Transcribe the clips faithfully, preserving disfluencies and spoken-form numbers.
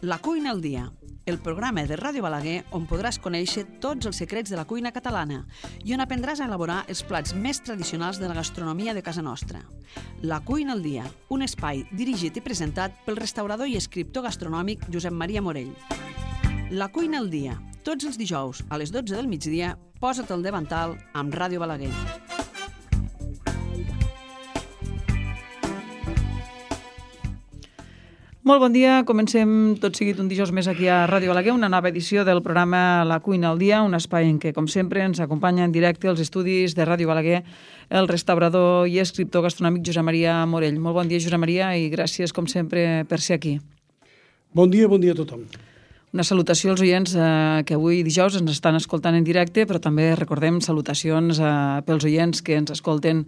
La cuina al dia, el programa de Ràdio Balaguer on podràs conèixer tots els secrets de la cuina catalana i on aprendràs a elaborar els plats més tradicionals de la gastronomia de casa nostra. La cuina al dia, un espai dirigit i presentat pel restaurador i escriptor gastronòmic Josep Maria Morell. La cuina al dia, tots els dijous a les dotze del migdia, posa't al davantal amb Ràdio Balaguer. Molt bon dia, comencem tot seguit un dijous més aquí a Ràdio Balaguer, una nova edició del programa La cuina al dia, un espai en què, com sempre, ens acompanya en directe als estudis de Ràdio Balaguer el restaurador i escriptor gastronòmic Josep Maria Morell. Molt bon dia, Josep Maria, i gràcies, com sempre, per ser aquí. Bon dia, bon dia a tothom. Una salutació als oients eh, que avui dijous ens estan escoltant en directe, però també recordem salutacions eh, pels oients que ens escolten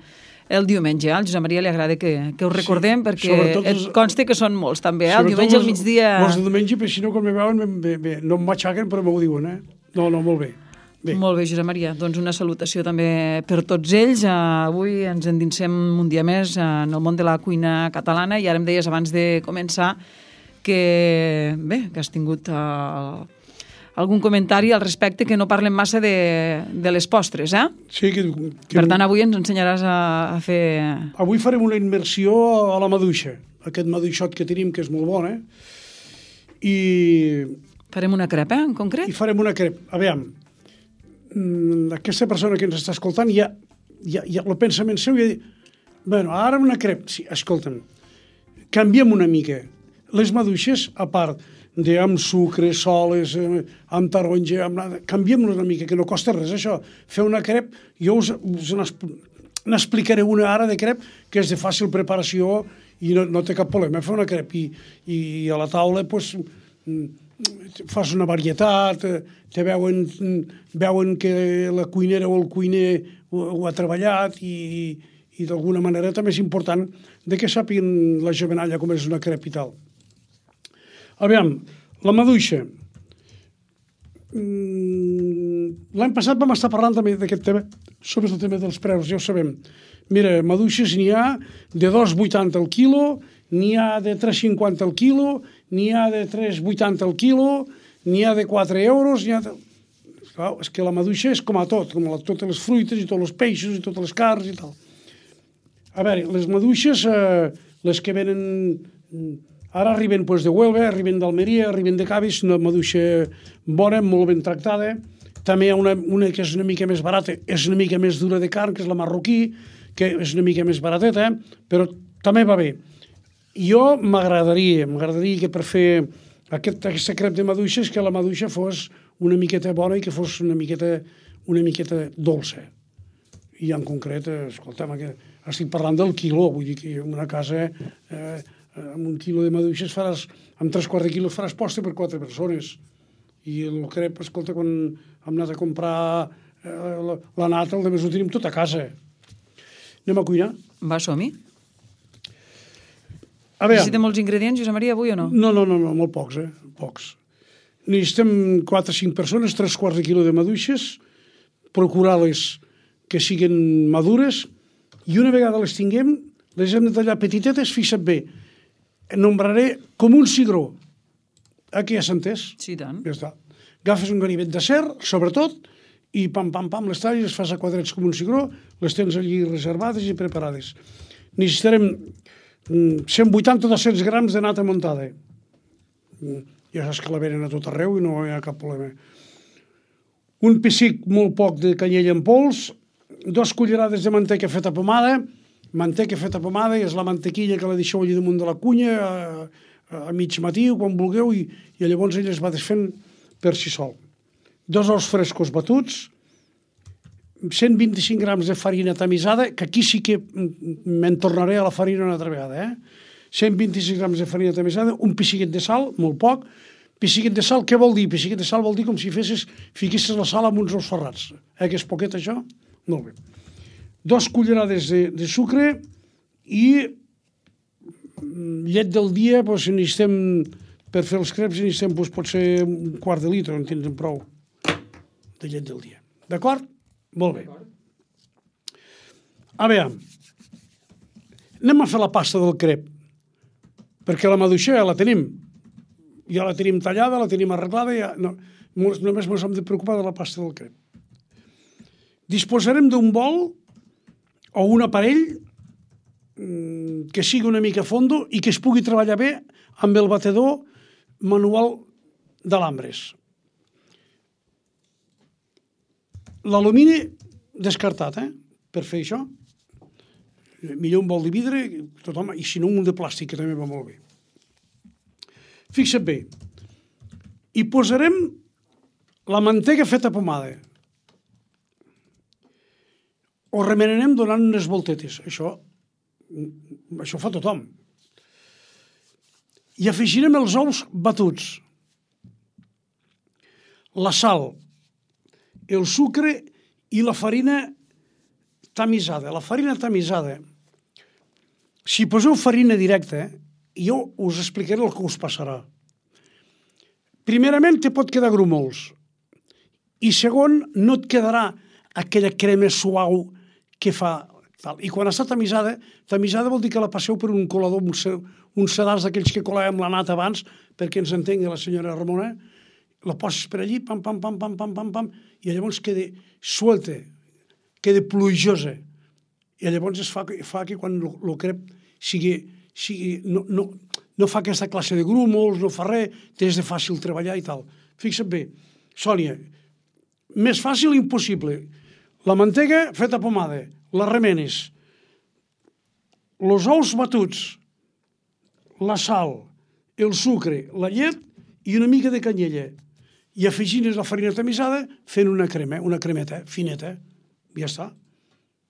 el diumenge. Al Josep Maria li agrada que, que ho recordem, sí, perquè et els, consta que són molts també, eh? El diumenge al migdia... Els de diumenge, perquè si no, quan me veuen, bé, bé, no em matxaquen, però m'ho diuen, eh? No, no, molt bé. bé. Molt bé, Josep Maria. Doncs una salutació també per tots ells. Uh, avui ens endinsem un dia més uh, en el món de la cuina catalana i ara em deies abans de començar que, bé, que has tingut... Uh, algun comentari al respecte, que no parlem massa de, de les postres, eh? Sí, que, que... Per tant, avui ens ensenyaràs a, a fer... Avui farem una immersió a la maduixa, aquest maduixot que tenim, que és molt bon, eh? I... Farem una crepa, en concret? I farem una crepa. A veure, aquesta persona que ens està escoltant, ja, ja, ja el pensament seu, ja diu, bueno, ara una crepa. Sí, escolta'm, canviem una mica. Les maduixes, a part de amb sucre, soles, eh, amb taronja, amb nada. Canviem-ho una mica, que no costa res això. Fer una crep, jo us, us n'explicaré una ara de crep que és de fàcil preparació i no, no té cap problema. Fer una crep i, i a la taula pues, fas una varietat, te veuen, veuen que la cuinera o el cuiner ho, ho ha treballat i, i d'alguna manera també és important de que sàpiguen la jovenalla com és una crep i tal. Aviam, la maduixa. L'any passat vam estar parlant també d'aquest tema, sobre el tema dels preus, ja ho sabem. Mira, maduixes n'hi ha de dos coma vuitanta al quilo, n'hi ha de tres coma cinquanta al quilo, n'hi ha de tres coma vuitanta al quilo, n'hi ha de quatre euros, n'hi ha de... Clar, és que la maduixa és com a tot, com a totes les fruites i tots els peixos i totes les carns i tal. A veure, les maduixes, eh, les que venen... Ara arriben pues, de Huelva, arriben d'Almeria, arriben de Cabis, una maduixa bona, molt ben tractada. També hi ha una, una que és una mica més barata, és una mica més dura de carn, que és la marroquí, que és una mica més barateta, però també va bé. Jo m'agradaria, m'agradaria que per fer aquest, aquesta crep de maduixes, que la maduixa fos una miqueta bona i que fos una miqueta, una miqueta dolça. I en concret, escolta'm, estic parlant del quiló, vull dir que en una casa... Eh, amb un quilo de maduixes faràs, amb tres quarts de quilo faràs posta per quatre persones. I el crep, escolta, quan hem anat a comprar eh, la, la nata, el de més ho tenim tot a casa. Anem a cuinar? Va, som-hi. A veure... Necessitem molts ingredients, Josep Maria, avui o no? No, no, no, no molt pocs, eh? Pocs. Necessitem quatre o cinc persones, tres quarts de quilo de maduixes, procurar-les que siguin madures, i una vegada les tinguem, les hem de tallar petitetes, fixa't bé. Nombraré com un cigró. Aquí ja s'ha entès? Sí, tant. Ja està. Agafes un ganivet d'acer, sobretot, i pam, pam, pam, les talles, les fas a quadrats com un cigró, les tens allí reservades i preparades. Necessitarem cent vuitanta a dos-cents grams de nata muntada. Ja saps que la venen a tot arreu i no hi ha cap problema. Un pessic molt poc de canyella en pols, dos cullerades de manteca feta pomada, manteca feta pomada, és la mantequilla que la deixeu allà damunt de la cunya a, a mig matí o quan vulgueu i, i llavors ella es va desfent per si sol. Dos ous frescos batuts, cent vint-i-cinc grams de farina tamisada, que aquí sí que me'n tornaré a la farina una altra vegada, eh? cent vint-i-cinc grams de farina tamisada, un pessiquet de sal, molt poc. Pessiquet de sal, què vol dir? Pessiquet de sal vol dir com si fessis, fiquessis la sal amb uns ous ferrats. Eh, que és poquet això? Molt bé. Dos cullerades de, de sucre i llet del dia, doncs, necessitem, per fer els creps, necessitem, doncs, pot ser un quart de litre, en tindrem prou, de llet del dia. D'acord? Molt bé. A veure, anem a fer la pasta del crep, perquè la maduixa ja la tenim. ja la tenim tallada, la tenim arreglada, ja, no, només ens hem de preocupar de la pasta del crep. Disposarem d'un bol o un aparell que sigui una mica fondo i que es pugui treballar bé amb el batedor manual d'alambres. L'alumini descartat, eh? Per fer això. Millor un bol de vidre, tothom, i si no un de plàstic, que també va molt bé. Fixa't bé. Hi posarem la mantega feta pomada. Ho remenarem donant unes voltetes. Això, això fa tothom. I afegirem els ous batuts, la sal, el sucre i la farina tamisada. La farina tamisada, si poseu farina directa, jo us explicaré el que us passarà. Primerament, te pot quedar grumols. I segon, no et quedarà aquella crema suau que fa tal. I quan està tamisada, tamisada vol dir que la passeu per un colador, uns sedars d'aquells que colàvem la nata abans, perquè ens entengui la senyora Ramona, la poses per allí, pam, pam, pam, pam, pam, pam, pam, i llavors queda suelta, queda plujosa. I llavors es fa, fa que quan el crep sigui, sigui no, no, no fa aquesta classe de grúmols, no fa res, t'és de fàcil treballar i tal. Fixa't bé, Sònia, més fàcil impossible. La mantega feta pomada, les remenes, els ous batuts, la sal, el sucre, la llet i una mica de canyella. I afegines la farina tamisada fent una crema, una cremeta fineta. Ja està.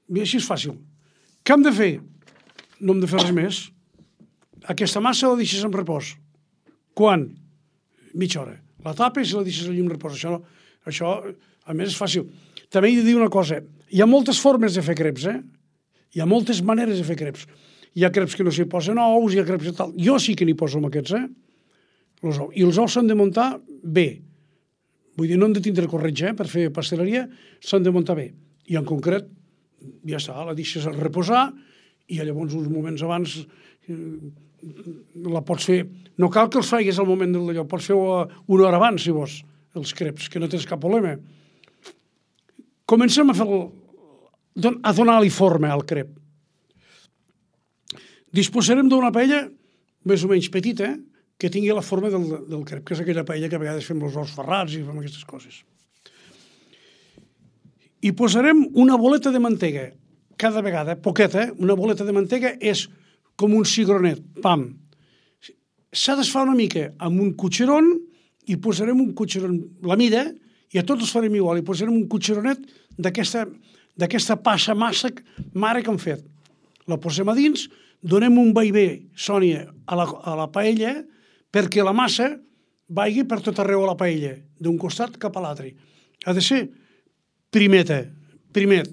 I així és fàcil. Què hem de fer? No hem de fer res més. Aquesta massa la deixes en repòs. Quan? Mitja hora. La tapes i la deixes allà en repòs. Això, això, a més, és fàcil. També he de dir una cosa. Hi ha moltes formes de fer creps, eh? Hi ha moltes maneres de fer creps. Hi ha creps que no s'hi posen ous, hi ha creps de tal. Jo sí que n'hi poso amb aquests, eh? Els ous. I els ous s'han de muntar bé. Vull dir, no hem de tindre corretja, eh? Per fer pasteleria s'han de muntar bé. I en concret, ja està, la deixes a reposar i llavors uns moments abans eh, la pots fer. No cal que els faigues al moment del d'allò, pots fer-ho una hora abans, si vols, els creps, que no tens cap problema. Comencem a fer el, a donar-li forma al crep. Disposarem d'una paella més o menys petita, eh? Que tingui la forma del, del crep, que és aquella paella que a vegades fem els ous ferrats i fem aquestes coses. I posarem una boleta de mantega, cada vegada, poqueta, eh? Una boleta de mantega és com un cigronet, pam. S'ha d'esfar una mica amb un cotxeron i posarem un cotxeron, la mida, i a tots els farem igual, i posarem un cotxeronet d'aquesta passa massa mare que hem fet. La posem a dins, donem un vaivé, Sònia, a la, a la paella, perquè la massa vagi per tot arreu a la paella, d'un costat cap a l'altre. Ha de ser primeta, primet.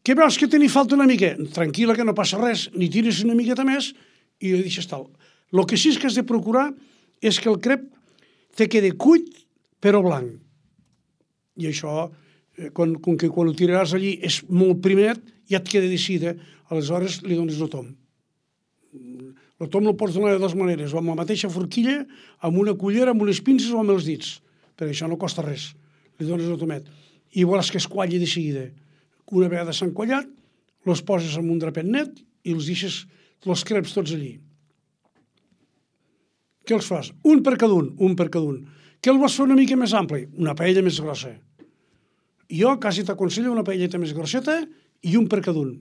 Què veus que te n'hi falta una mica? Tranquil·la, que no passa res, ni tires una miqueta més i ho deixes tal. El que sí que has de procurar és que el crep te quede cuit però blanc. I això, quan, com que quan ho tiraràs allí és molt primet, ja et queda decidida, aleshores li dones el tom. El tom el pots donar de dues maneres, o amb la mateixa forquilla, amb una cullera, amb unes pinces o amb els dits, perquè això no costa res. Li dones el tomet. I veuràs que es qualli de seguida. Una vegada s'han quallat, els poses en un drapet net i els deixes els creps tots allí. Què els fas? Un per cada un, un per cada un. Què el vols fer una mica més ampli? Una paella més grossa. Jo quasi t'aconsello una paelleta més grosseta i un per cada un.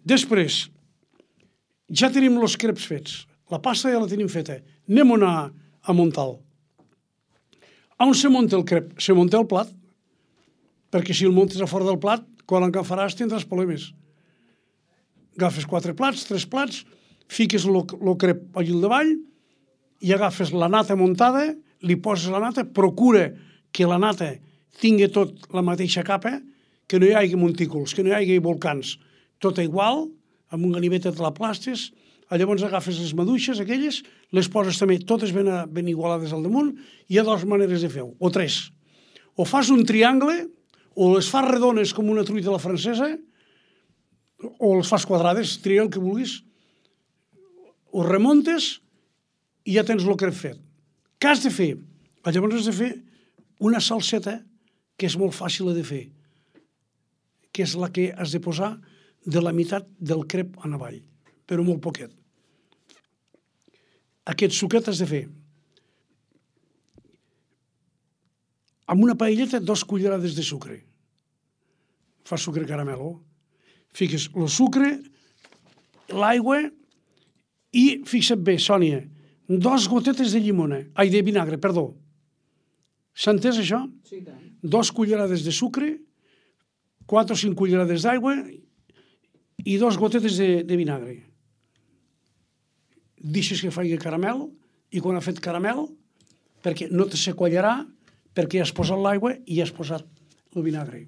Després, ja tenim els creps fets. La pasta ja la tenim feta. Anem a, a muntar-lo. On se munta el crep? Se munta el plat. Perquè si el muntes a fora del plat, quan l'encafaràs tindràs problemes. Agafes quatre plats, tres plats, fiques el crep allí al davall i agafes la nata muntada, li poses la nata, procura que la nata tingui tot la mateixa capa, que no hi hagi montículs, que no hi hagi volcans, tot igual, amb un ganivet te la plastes, llavors agafes les maduixes aquelles, les poses també totes ben, ben igualades al damunt, i hi ha dues maneres de fer-ho, o tres. O fas un triangle, o les fas redones com una truita a la francesa, o les fas quadrades, tria el que vulguis, ho remontes i ja tens el crep fet. Què has de fer? Llavors has de fer una salseta que és molt fàcil de fer, que és la que has de posar de la meitat del crep en avall, però molt poquet. Aquest suquet has de fer amb una paelleta dos cullerades de sucre. Fas sucre caramelo. Fiques el sucre, l'aigua i, fixa't bé, Sònia, dos gotetes de llimona, ai, de vinagre, perdó. S'ha entès això? Sí, tant. Dos cullerades de sucre, quatre o cinc cullerades d'aigua i dos gotetes de, de vinagre. Deixes que faci caramel i quan ha fet caramel, perquè no te s'aquallarà, perquè has posat l'aigua i has posat el vinagre.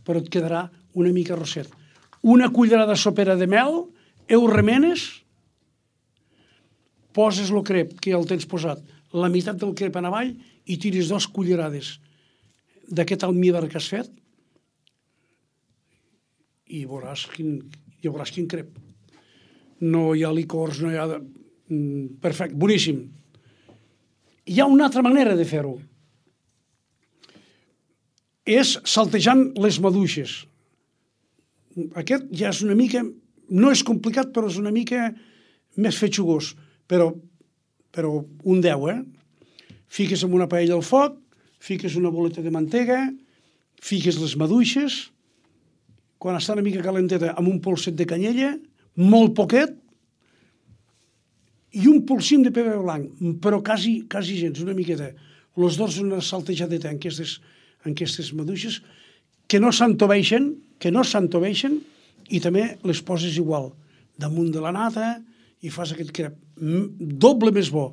Però et quedarà una mica rosset. Una cullerada sopera de mel, ho remenes, poses el crep que ja el tens posat, la meitat del crep en avall i tires dos cullerades d'aquest almíbar que has fet i veuràs quin, i veuràs quin crep. No hi ha licors, no hi ha... Perfecte, boníssim. Hi ha una altra manera de fer-ho. És saltejant les maduixes. Aquest ja és una mica... No és complicat, però és una mica més fetxugós. Però, però un deu, eh? Fiques en una paella al foc, fiques una boleta de mantega, fiques les maduixes, quan està una mica calenteta, amb un polset de canyella, molt poquet, i un polsim de pebre blanc, però quasi, quasi gens, una miqueta. Els dos una saltejadeta en aquestes, en aquestes maduixes, que no s'entoveixen, que no s'entoveixen, i també les poses igual, damunt de la nata, i fas aquest crep doble més bo.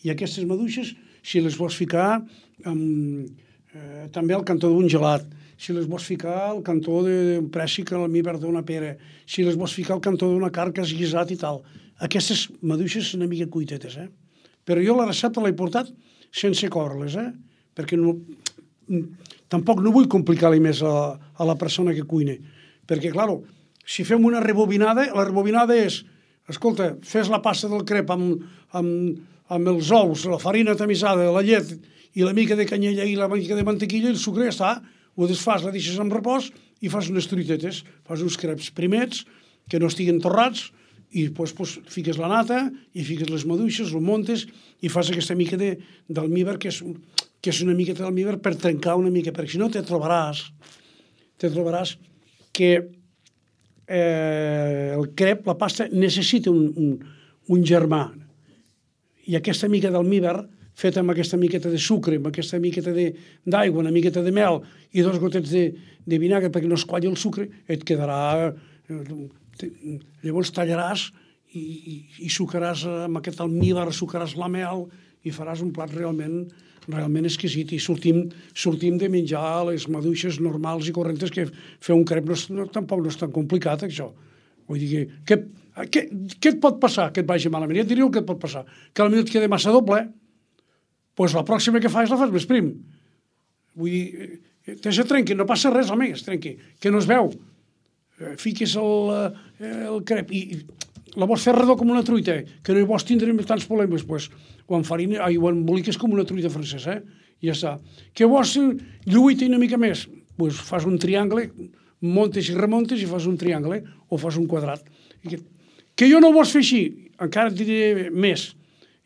I aquestes maduixes, si les vols ficar amb, eh, també al cantó d'un gelat, si les vols ficar al cantó d'un préssic, al almíbar d'una pera, si les vols ficar al cantó d'una carn que has guisat i tal. Aquestes maduixes són una mica cuitetes, eh? Però jo la recepta l'he portat sense córrer-les, eh? Perquè no, tampoc no vull complicar-li més a, a la persona que cuina. Perquè, clar, si fem una rebobinada, la rebobinada és, escolta, fes la pasta del crep amb, amb, amb els ous, la farina tamisada, la llet i la mica de canyella i la mica de mantequilla i el sucre, ja està. Ho desfas, la deixes en repòs i fas unes truitetes, fas uns creps primets que no estiguen torrats i després pues, fiques la nata i fiques les maduixes, el montes i fas aquesta mica de, d'almíbar que és, que és una miqueta d'almíbar per trencar una mica, perquè si no te trobaràs te trobaràs que eh, el crep, la pasta, necessita un, un, un germà. I aquesta mica d'almíbar feta amb aquesta miqueta de sucre, amb aquesta miqueta d'aigua, una miqueta de mel i dos gotets de, de vinagre perquè no es qualli el sucre, et quedarà... Llavors tallaràs i, i, i sucaràs amb aquest almíbar, sucaràs la mel i faràs un plat realment, realment exquisit. I sortim, sortim de menjar les maduixes normals i correntes, que fer un crep no, no, tampoc no és tan complicat, això. Vull dir que... que què, què et pot passar que et vagi malament? Ja et diria el que et pot passar. Que potser et queda massa doble, doncs la pròxima que fas la fas més prim. Vull dir, te se trenqui, no passa res, home, es trenqui, que no es veu. Fiques el, el crep i la vols fer redó com una truita, que no hi vols tindre tants problemes, doncs, o en farina, ai, o en emboliques com una truita francesa, eh? I ja està. Que vols lluita una mica més, doncs fas un triangle, montes i remontes i fas un triangle, o fas un quadrat. Que, que jo no vols fer així, encara et diré més.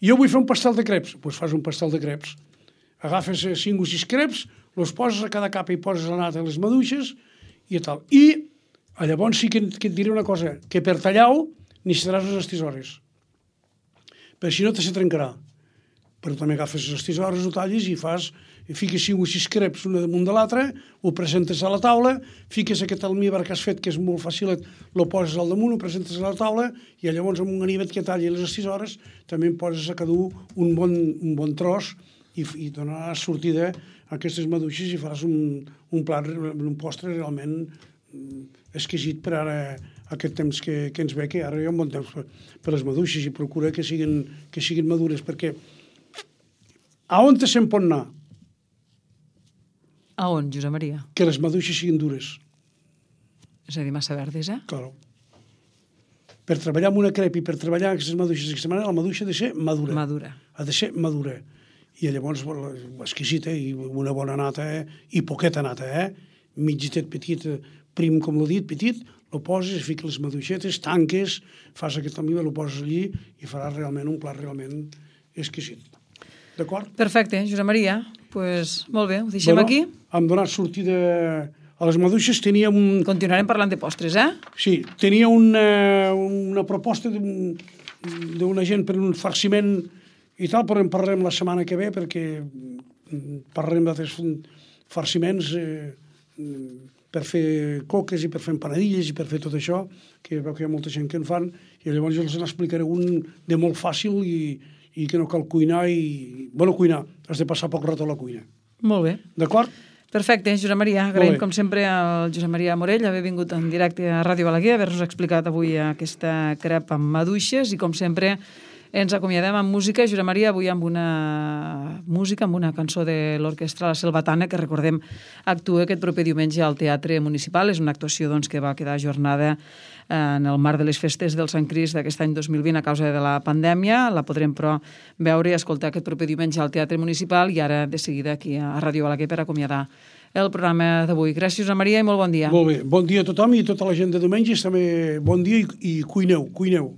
Jo vull fer un pastel de creps, doncs fas un pastel de creps. Agafes cinc o sis creps, els poses a cada capa i poses la nata i les maduixes i tal. I llavors sí que, que et diré una cosa, que per tallar-ho necessitaràs les tisores. Perquè si no te se trencarà. Però també agafes les tisores, ho tallis i fas, fiques cinc o sis creps una damunt de l'altra, ho presentes a la taula, fiques aquest almíbar que has fet, que és molt fàcil, lo poses al damunt, ho presentes a la taula, i llavors amb un ganivet que talli les tisores també en poses a cada un bon, un bon tros i, i donaràs sortida a aquestes maduixes i faràs un, un plat, un postre realment exquisit per ara aquest temps que, que ens ve, que ara hi ha un bon temps per, per les maduixes i procura que siguin, que siguin madures, perquè a on te se'n pot anar? A on, Josep Maria? Que les maduixes siguin dures. És a dir, massa verdes, eh? Claro. per treballar amb una crep i per treballar aquestes maduixes d'aquesta manera, la maduixa ha de ser madura. Madura. Ha de ser madura. I llavors, exquisita, i una bona nata, eh? I poqueta nata, eh? Mitgitet petit, prim, com l'he dit, petit, lo poses, fiques les maduixetes, tanques, fas aquest amiga, lo poses allí i faràs realment un plat realment exquisit. D'acord? Perfecte, Josep Maria. Pues, molt bé, ho deixem bueno, aquí. Hem donat sortida a les maduixes. Tenia un... Continuarem parlant de postres, eh? Sí, tenia una, una proposta d'una gent per un farciment i tal, però en parlarem la setmana que ve perquè parlarem d'altres farciments eh, per fer coques i per fer empanadilles i per fer tot això, que veu que hi ha molta gent que en fan, i llavors jo els n'explicaré un de molt fàcil i, i que no cal cuinar i... Bueno, cuinar, has de passar poc rato a la cuina. Molt bé. D'acord? Perfecte, Josep Maria. Agraïm, com sempre, al Josep Maria Morell haver vingut en directe a Ràdio Balaguer, haver-nos explicat avui aquesta crep amb maduixes i, com sempre, ens acomiadem amb música. Josep Maria, avui amb una música, amb una cançó de l'Orquestra La Selvatana, que, recordem, actua aquest proper diumenge al Teatre Municipal. És una actuació doncs, que va quedar ajornada en el marc de les festes del Sant Crist d'aquest any dos mil vint a causa de la pandèmia. La podrem, però, veure i escoltar aquest proper diumenge al Teatre Municipal i ara, de seguida, aquí a Ràdio Balaguer per acomiadar el programa d'avui. Gràcies, Josep Maria, i molt bon dia. Molt bé. Bon dia a tothom i a tota la gent de diumenges. També bon dia i, i cuineu, cuineu.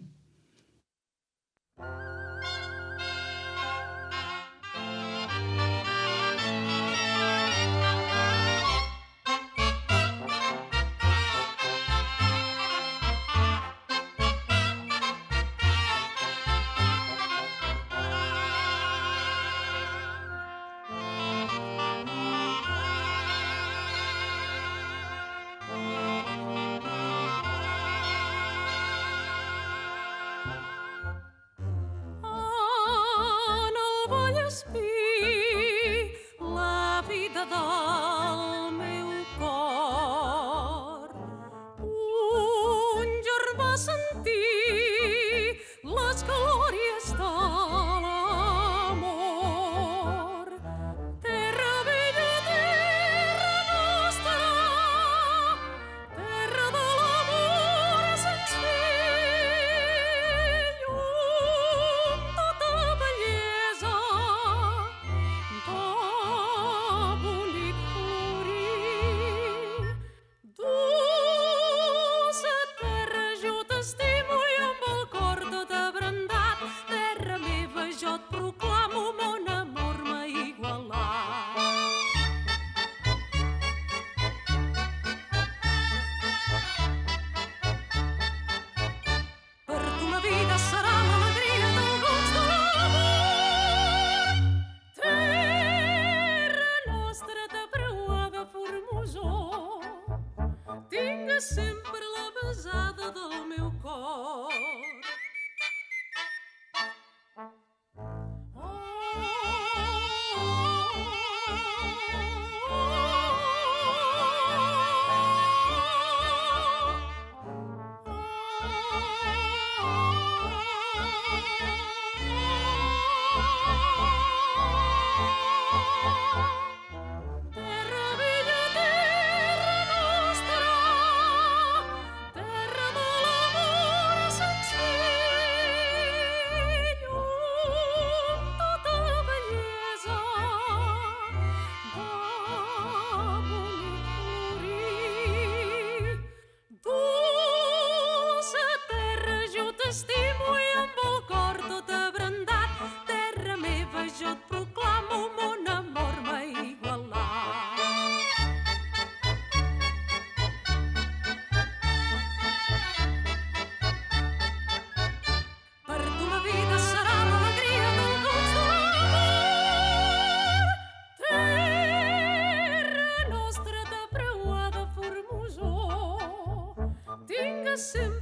Sempre la besada del meu cor. Sempre